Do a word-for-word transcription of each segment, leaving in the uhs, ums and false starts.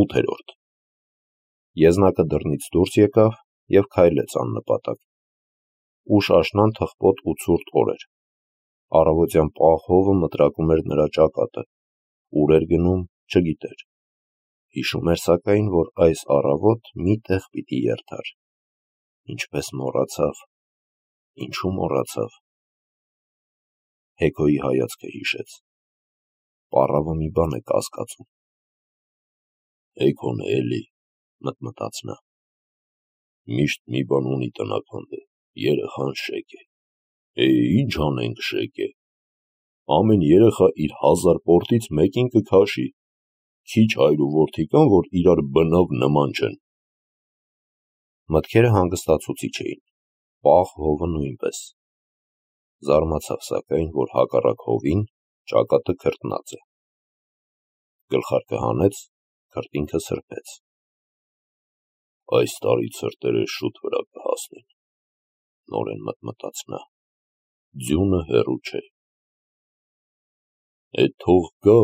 ութերորդ Եզնակը դռնից դուրս եկավ և քայլեց աննպատակ։ Ուշ աշնան թխպոտ ու ցուրտ օր էր։ Առավոտյան պաղ հովը մտրակում էր նրա ճակատը, ուր էր գնում չգիտեր։ Հիշում էր սակայն, որ այս առավոտ մի տեղ պիտի երթար։ Ինչպես մոռացավ, ինչու մոռացավ։ Հեքոյի հայացքը հիշեց։ Պառավը մի բան է կասկածում։ Հեքոն է էլի, մտմտաց նա։ Միշտ մի բան ունի տնական, երեխան շեկ է։ Է, ինչ անենք շեկ է։ Ամեն երեխա իր հազար պորտից մեկին կքաշի։ Քիչ հայր ու որդի կան, որ իրար բնավ նման չեն։ Մտքերը հանգստացուցիչ էին, պաղ հովը նույնպես։ Զարմացավ սակայն, որ հակառակ հովին ճակատը քրտնած է։ Գլխարկը հանեց, քրտինքը սրբեց։ Այս տարի ցրտերը շուտ վրա կհասնեն, նորեն մտմտաց նա։ Ձյունը հեռու չէ։ Էդ թող գա,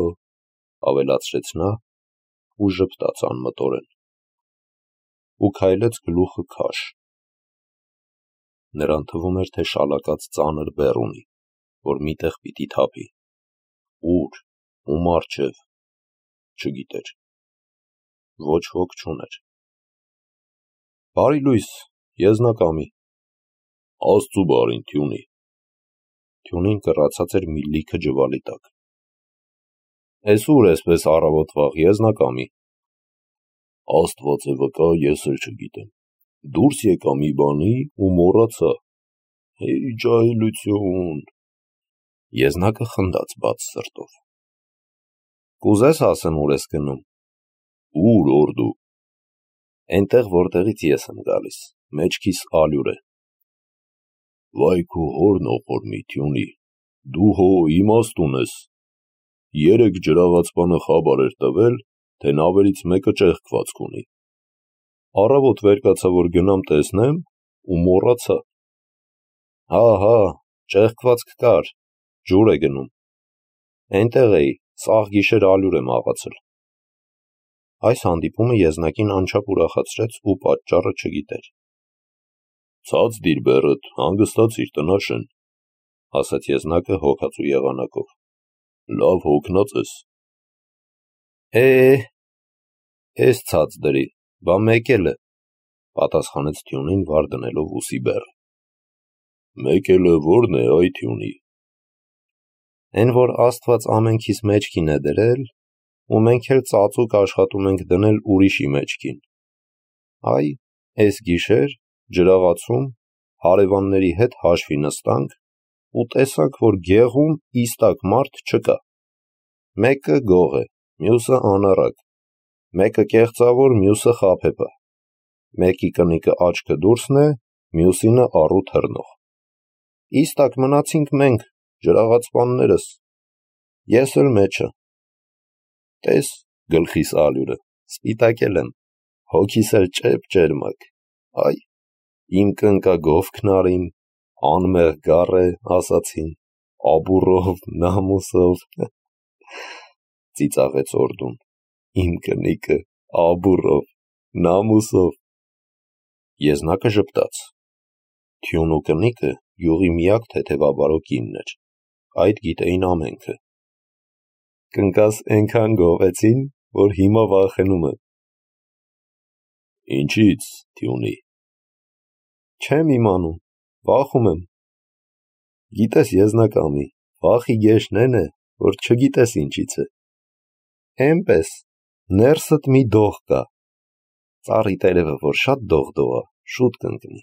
ավելացրեց նա ու ժպտաց անմտորեն։ Ու քայլեց գլուխը քաշ։ Նրան թվում էր, թե շալակած ծանր բեռ ունի, որ միտեղ պիտի թափի։ Ուր, ում առջև, չգիտեր։ Ոչ ոք չուներ։ Բարի լույս, Եզնակամի։ Աստծու բարին, Թյունի։ Թյունին կռացած էր մի լիքը ջվալի տակ։ Էս ուր էսպես առավոտվաղ, Եզնակամի։ Աստված է վկա, ես էլ չգիտեմ։ Դուրս եկա մի բանի ու մոռացա։ Հեյ ջահելություն։ Եզնակը խնդաց բաց սրտով։ Կուզես ասեմ ուր ես գնում։ Ուր օրդու։ Էնտեղ որտեղից ես եմ գալիս, մեջքիս ալյուր է։ Վայ քո հորն օխորմի, Թյունի, դու հո իմաստուն ես։ Երեկ ջրաղացպանը խաբար էր տվել, թե նավերից մեկը ճեղքվածք ունի։ Առավոտ վեր կացա, որ գնամ տեսնեմ, ու մոռացա։ Հա, հա, ճեղքվածք կար, ջուր է գնում։ Էնտեղ էի, սաղ գիշեր ալյուր եմ աղացել։ Այս հանդիպումը Եզնակին անչափ ուրախացրեց ու պատճառը չգիտեր։ Ցած դիր բեռդ, հանգստացիր, տնաշեն, ասաց Եզնակը հոգածու եղանակով։ Լավ հոգնած ես։ Է, էս ցած դրի, բա մեկել է, պատասխանեց Թյունին վար դնելով ուսի բեռը։ Մեկելը որն է, այ Թյունի։ Էն որ Աստված ամենքիս մեջքին է դրել, ու մենք էլ ծածուկ աշխատում ենք դնել ուրիշի մեջքին։ Այ, էս գիշեր, ջրաղացում, հարևանների հետ հաշվի նստանք ու տեսանք, որ գեղում իստակ մարդ չկա։ Մեկը գող է, մյուսը անառակ, մեկը կեղծավոր, մյուսը խաբեբա, մեկի կնիկը աչքը դուրսն է, մյուսինը առու թռնող։ Իստակ մնացինք մենք, ջրաղացպաններս, ես էլ մեջը։ Տես գլխիս ալյուրը, սպիտակել եմ, հոգիս էլ ճեպ ճերմակ, այ, իմ կնկա գովքնարին, անմեղ գառ է, ասացին, աբուրով, նամուսով, ծիծաղեց օրդուն, իմ կնիկը, աբուրով, նամուսով։ Եզնակը ժպտաց։ Թյուն ու կնիկը յուղի միակ թեթևաբարո կինն էր, այդ գիտեին ամենքը։ Կնկաս էնքան գովեցին, որ հիմա վախենում եմ։ Ինչից, Թյունի։ Չեմ իմանում, վախում եմ։ Գիտես, Եզնակամի, վախի գեշն են է, որ չգիտես ինչից է։ Էնպես, ներսդ մի դող կա։ Ծառի տերևը, որ շատ դողդող է, շուտ կընկնի։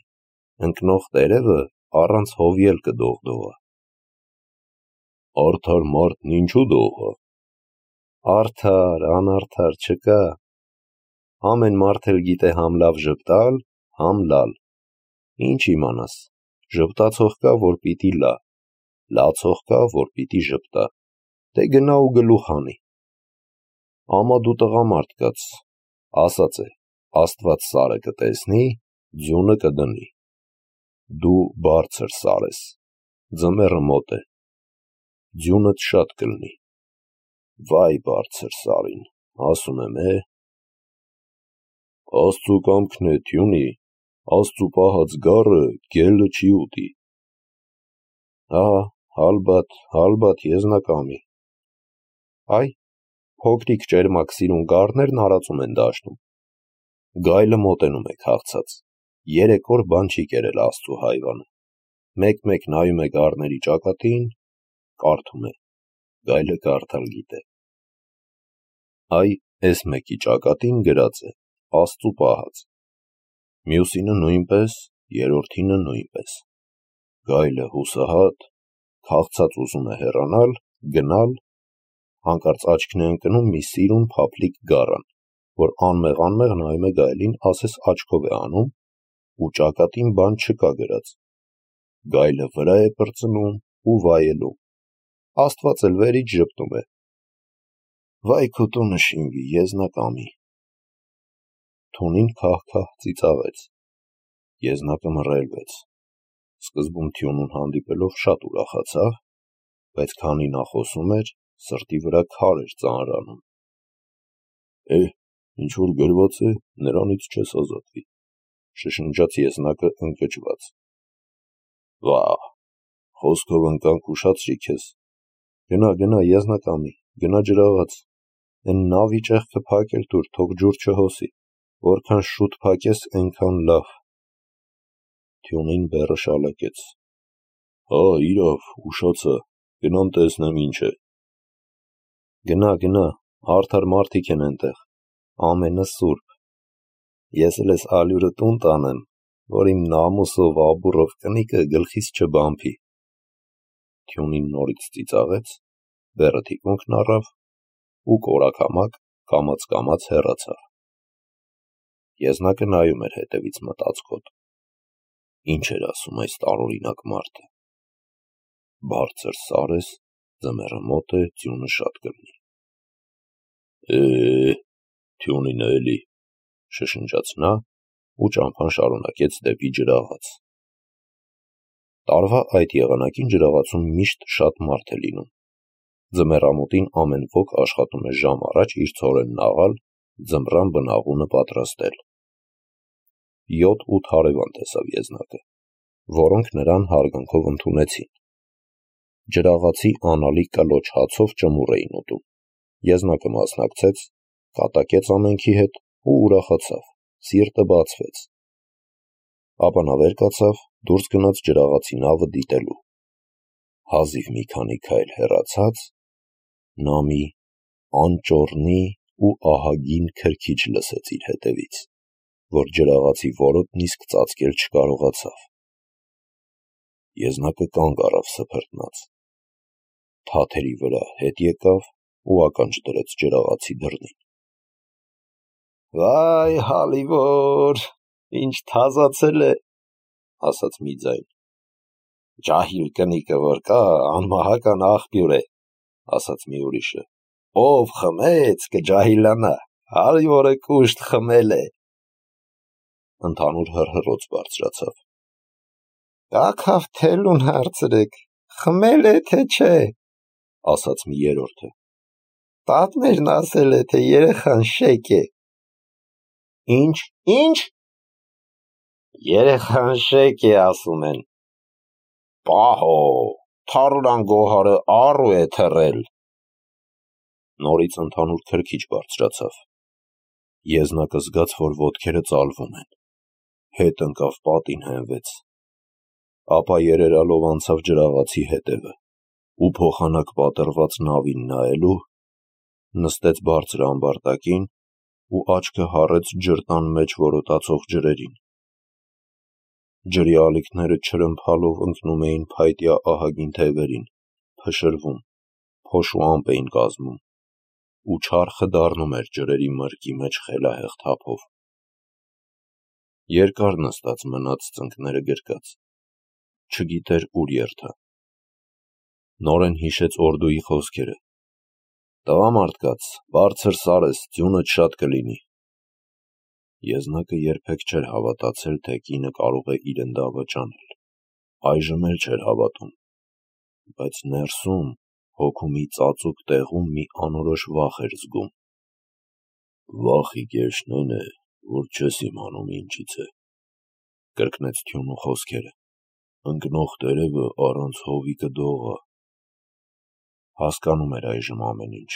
Ընկնող տերևը առանց հովի էլ կդողդողա։ Արդար մարդն ինչու դող է։ Արդար, անարդար չկա։ Ամեն մարդ էլ գիտե համ լավ ժպտալ, համ լալ։ Ինչ իմանաս, ժպտացող կա, որ պիտի լա, լացող կա, որ պիտի ժպտա, դե գնա ու գլուխ հանի։ Ամա դու տղամարդ կաց, ասած է, Աստված սարը կտեսնի, ձյունը կդնի։ Դու բարձր սար ես, ձմեռը մոտ է, ձյունդ շատ կլնի։ Վայ բարձր սարին, ասում եմ, է, Աստծու կամքն է, Թյունի, Աստծու պահած գառը գելը չի ուտի։ Ահա, հալբատ, հալբատ եզնակամի։ Այ, փոքրիկ ճերմակ սիրուն գառներն արածում են դաշնում։ Գայլը մոտենում է քաղցած, երեք օր բան չի կերել Աստծու հայվանը։ Մեկ-մեկ նայում է գառների ճակատին, կարդում է, գայլը կարդալ գիտե։ Այ, էս մեկի ճակատին գրած է, Աստծու պահած։ Մյուսինը նույնպես, երորդինը նույնպես։ Գայլը հուսահատ, քաղցած ուզում է հեռանալ, գնալ, հանկարծ աչքն է ընկնում մի սիրուն փափլիկ գառան, որ անմեղ-անմեղ նայում է գայլին, ասես աչքով է անում, ու ճակատին բան չկա գրած։ Գայլը վրա է պրծնում ու վայելում։ Աստված էլ վերից ժպտում է։ Վայ քո տունը շինվի, եզնակամի։ Թունին քահ-քահ ծիծաղեց։ Եզնակը մռայլվեց։ Սկզբում Թյունուն հանդիպելով շատ ուրախացավ, բայց քանի նա խոսում էր, սրտի վրա քար էր ծանրանում։ Է, ինչ որ գրված է, նրանից չես ազատվի, շշնջաց Եզնակը ընկճված։ Վա՜, խոսքով ընկանք ուշացրի քեզ։ Գնա, գնա, Եզնակամի, գնա ջրաղաց։ Էն նավի ճեղքը փակել տուր, թող ջուր չհոսի, որքան շուտ փակես, այնքան լավ։ Թյունին բեռը շալակեց։ Հա, իրավ, ուշացա, գնամ տեսնեմ ինչ է։ Գնա, գնա, արդար մարդիկ են այնտեղ, ամենը սուրբ։ Ես էլ ես ալյուրը տուն տանեմ, որ իմ նամուսով, աբուրով կնիկը գլխիս չբամփի։ Թյունին նորից ծիծաղեց, բեռը թիկունքն առավ ու կորակամակ կամաց-կամաց հեռացավ։ Եզնակը նայում էր հետևից մտածքոտ։ Ինչ էր ասում այս տարօրինակ մարդը։ Բարձր սարես, ձմեռը մոտ է, ձյունը շատ կլինի։ Է, Թյունինը էլի, շշնջաց նա ու ճամփան շարունակեց դեպի ջրաղաց։ Տարվա այդ եղանակին ջրաղացում միշտ շատ մարդ է լինում։ Ձմեռամոտին ամեն ոք աշխատում է ժամ առաջ իր ցորենն աղալ, ձմռան բնաղունը պատրաստել։ Յոթ-ութ հարևան տեսավ Եզնակը, որոնք նրան հարգանքով ընդունեցին։ Ջրաղացի անալի կլոչ հացով ճմուռ էին ուտում։ Եզնակը մասնակցեց, կատակեց ամենքի հետ ու ուրախացավ, սիրտը բացվեց։ Ապա նա վեր կացավ, դուրս գնաց ջրաղացի նավը դիտելու։ Հազիվ մի քանի քայլ հեռացած, նա մի անճոռնի ու ահագին քրքիջ լսեց իր հետևից, որ ջրաղացի որոտն իսկ ծածկել չկարողացավ։ Եզնակը կանգ առավ սփռտնած։ Թաթերի վրա հետ եկավ ու ականջ դրեց ջրաղացի դռնին։ Վայ, հալիվոր, ինչ թազացել է, ասաց մի ձայն։ Ջահիլ կնիկը որ կա, անմահական աղբյուր է, ասաց մի ուրիշը։ Ով խմեց, կջահիլանա, հալիվորը կուշտ խմել է։ Ընդհանուր հռհռոց բարձրացավ։ Կաքավ թելուն հարցրեք, խմել է թե չէ, ասաց մի երրորդը։ Պատմերն ասել է, թե երեխան շեկ է։ Ինչ, ինչ։ Երեխան շեկ է ասում են։ Պահո, թարուրան գոհարը առու է թռել։ Նորից ընդհանուր քրքիջ բարձրացավ։ Եզնակը զգաց, որ ոտքերը ծալվում են։ Հետ ընկավ պատին հենվեց։ Ապա երերալով անցավ ջրաղացի հետևը ու փոխանակ պատռված նավին նայելու, նստեց բարձր ամբարտակին ու աչքը հառեց ջրտան մեջ որոտացող ջրերին։ Ջրի ալիքները չրմփալով ընկնում էին փայտյա ահագին թևերին, փշրվում, փոշու ամպ էին կազմում, ու չարխը դառնում էր ջրերի մրկի մեջ խելահեղ թափով։ Երկար նստած մնաց ծնկները գրկած, չգիտեր ուր երթա։ Նորեն հիշեց օրդուի խոսքերը. տղամարդկաց, բարձր սարես, ձյունդ շատ կլինի։ Եզնակը երբեք չէր հավատացել, թե կինը կարող է իր ընդավը ճանել, այժմ էլ չէր հավատում, բայց ներսում, հոգու մի ծածուկ տեղում մի անորոշ վախ էր զգում։ Վախի կեշնեն է, որ չես իմանում ինչից է, կրկնեց Թյունու խոսքերը, ընկնող տերևը առանց հովի կդողա։ Հասկանում էր այժմ ամեն ինչ,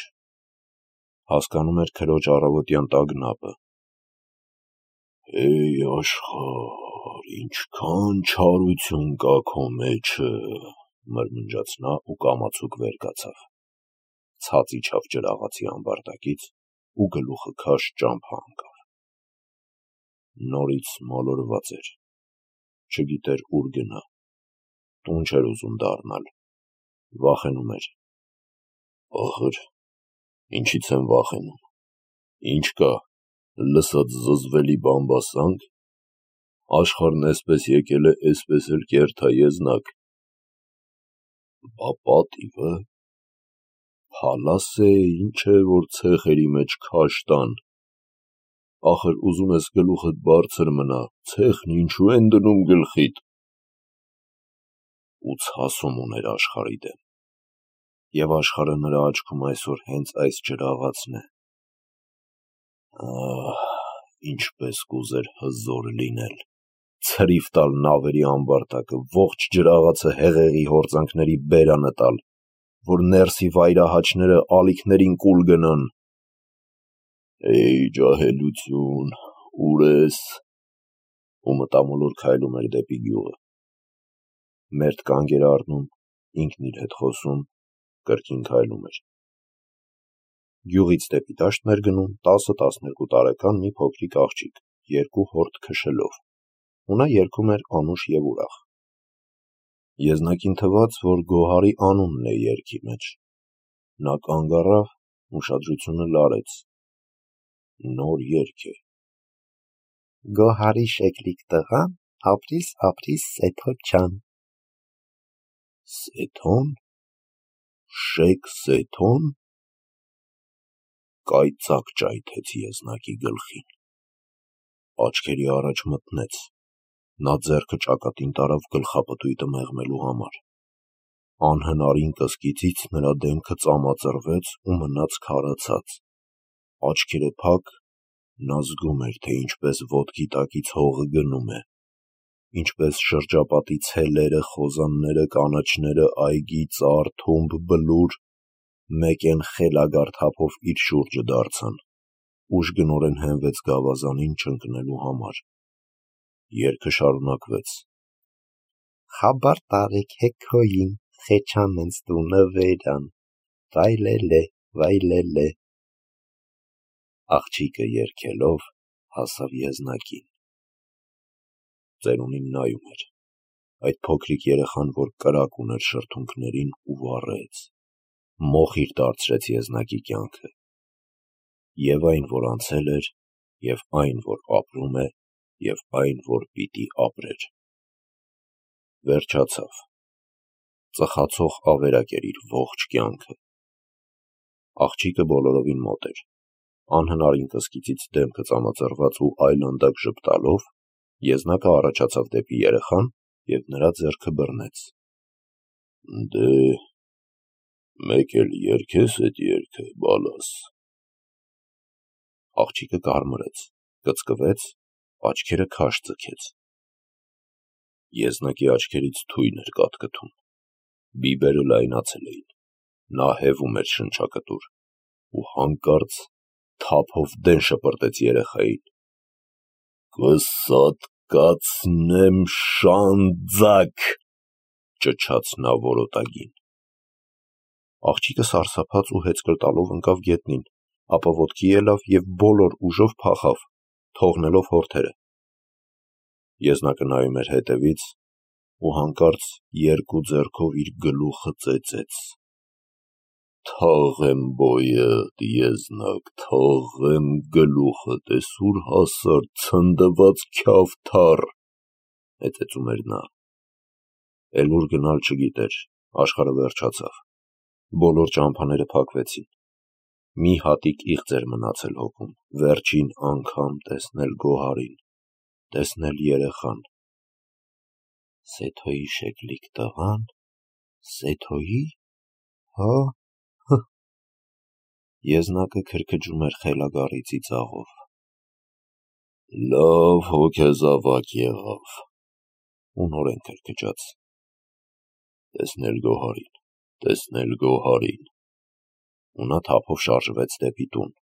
հասկանում էր քրոջ առավոտյան տագնապը։ Էй աշխարհ, ինչքան չարություն կա քո մեջը, մրմնջաց նա ու կամացուկ վեր կացավ, ցած իջավ ջրաղացի ամբարտակից ու գլուխը քաշ ճամփա ընկավ։ Նորից մոլորված էր, չգիտեր ուր գնա, տուն չէր ուզում դառնալ, վախենում էր։ Ախր, ինչից եմ վախենում, ինչ կա, լսած զզվելի բամբասանք, աշխարհն էսպես եկել է, էսպես էլ կերթա եզնակ, բա պատիվը, փալաս է, ինչ է, որ ցեխերի մեջ քաշ տան, ախր ուզում ես գլուխդ բարձր մնա, ցեխն ինչու են դնում գլխիդ, ու ցասում ուներ աշխարհի դեմ, և աշխարհը նրա աչքում այսօր հենց այս ջրաղացն է։ Ահ, ինչպես կուզեր հզոր լինել, ցրիվ տալ նավերի ամբարտակը, ողջ ջրաղացը հեղեղի հորձանքների բերանը տալ, որ ներսի վայրահաչները ալիքներին կուլ գնան։ Էй ջահելություն, ուր ես, ու մտամոլոր քայլում էր դեպի գյուղը։ Մերթ կանգ էր առնում, ինքն իր հետ խոսում, կրկին քայլում էր։ Գյուղից դեպի դաշտն էր գնում տասը-տասներկու տարեկան մի փոքրիկ աղջիկ, երկու հորդ քշելով, ու նա երգում էր անուշ և ուրախ։ Եզնակին թվաց, որ Գոհարի անունն է երգի մեջ։ Նա կանգ առավ, ուշադրությունը լարեց։ Նոր երգ է։ Գոհարի շեկլիկ տղան, ապրիս ապրիս Սեթո ջան։ Սեթոն, շեք Սեթոն, կայծակ ճայթեց Եզնակի գլխին, աչքերի առաջ մտնեց, նա ձեռքը ճակատին տարավ գլխապտույտը մեղմելու համար, անհնարին կսկիծից նրա դեմքը ծամածրվեց ու մնաց քարացած, աչքերը փակ, նա զգում էր, թե ինչպես ոտքի տակից հողը գնում է, ինչպես շրջապատի ցելերը, խոզանները, կանաչները, այգի, ծառ, թումբ, բլուր մեկեն խելագար թափով իր շուրջը դարձան, ուժգնորեն հենվեց գավազանին չընկնելու համար։ Երգը շարունակվեց. Խաբար տարեք հեքոյին, խեչան ընց տունը վերան, վայլելե, վայլելե։ Աղջիկը երգելով հասավ Եզնակին։ Ծերունին նայում էր, այդ փոքրիկ երեխան, որ կրակ ուներ շրթունքներին ու վառեց, մոխիր դարձրեց Եզնակի կյանքը, և այն, որ անցել էր, և այն, որ ապրում է, և այն, որ պիտի ապրեր։ Վերջացավ, ծխացող ավերակ էր իր ողջ կյանքը։ Աղջիկը բոլորովին մոտ էր, անհնարին կսկիծից դեմքը ծամածրված ու այլանդակ ժպտալով, Եզնակը առաջացավ դեպի երեխան և նրա ձեռքը բռնեց։ Դե, մեկ էլ երգես էդ երգը, բալաս։ Աղջիկը կարմրեց, կծկվեց, աչքերը քաշ ձգեց։ Եզնակի աչքերից թույն էր կատկտում, բիբերը լայնացել էին, նա հևում էր շնչակտուր, ու հանկարծ թափով դեն շպրտեց երեխային։ Կսատկացնեմ շանձակ, ճչաց նա որոտագին։ Աղջիկը սարսափած ու հեծկլ տալով ընկավ գետնին, ապա ոտքի ելավ և բոլոր ուժով փախավ, թողնելով հորթերը։ Եզնակը նայում էր հետևից ու հանկարծ երկու ձեռքով իր գլուխը ծեծեց։ Թաղեմ բոյդ, Եզնակ, թաղեմ գլուխդ, էս ուր հասար ցնդված քյավթառ, հեծեծում էր նա։ Էլ ուր գնալ չգիտեր, աշխարհը վերջացավ, բոլոր ճամփաները փակվեցին, մի հատիկ իղձ էր մնացել հոգում, վերջին անգամ տեսնել Գոհարին, տեսնել երեխան։ Սեթոյի շեկլիկ տղան, Սեթոյի, հա, հը։ Եզնակը քրքջում էր խելագարի ծիծաղով։ Լավ հոգեզավակ եղավ, ունորեն քրքջաց, տեսնել Գոհարին, տեսնել Գոհարին, ու նա թափով շարժվեց դեպի տուն,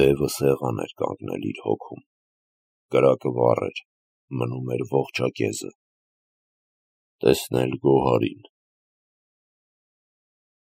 դևը սեղան էր կանգնել իր հոգում, կրակը վառ էր, մնում էր ողջակեզը, տեսնել Գոհարին,